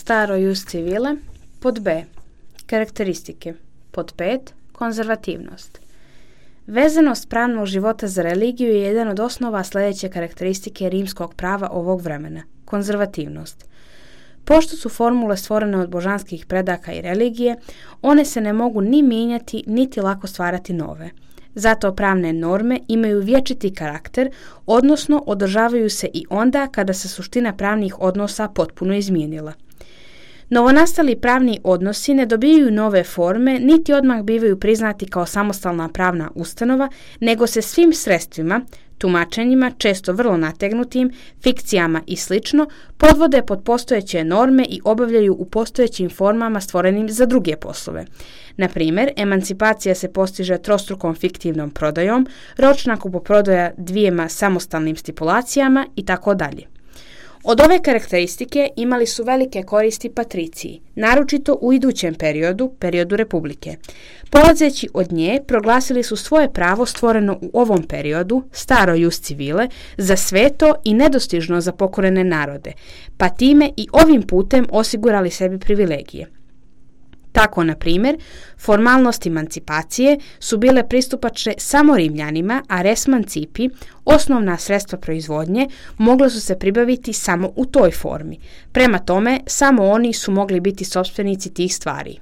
staro jus civile. Pod B. Karakteristike. Pod 5. Konzervativnost. Vezanost pravnog života za religiju je jedan od osnova sljedeće karakteristike rimskog prava ovog vremena. Konzervativnost. Pošto su formule stvorene od božanskih predaka i religije, one se ne mogu ni mijenjati, niti lako stvarati nove. Zato pravne norme imaju vječiti karakter, odnosno održavaju se i onda kada se suština pravnih odnosa potpuno izmijenila. Novonastali pravni odnosi ne dobijaju nove forme, niti odmah bivaju priznati kao samostalna pravna ustanova, nego se svim sredstvima, tumačenjima, često vrlo nategnutim, fikcijama i sl. Podvode pod postojeće norme i obavljaju u postojećim formama stvorenim za druge poslove. Na primjer, emancipacija se postiže trostrukom fiktivnom prodajom, ročna kupoprodaja dvijema samostalnim stipulacijama itd. Od ove karakteristike imali su velike koristi patriciji, naročito u idućem periodu Republike. Polazeći od nje, proglasili su svoje pravo stvoreno u ovom periodu, staro jus civile, za sveto i nedostižno za pokorene narode, pa time i ovim putem osigurali sebi privilegije. Tako, na primjer, formalnosti emancipacije su bile pristupačne samo Rimljanima, a res mancipi, osnovna sredstva proizvodnje, mogle su se pribaviti samo u toj formi. Prema tome, samo oni su mogli biti sopstvenici tih stvari.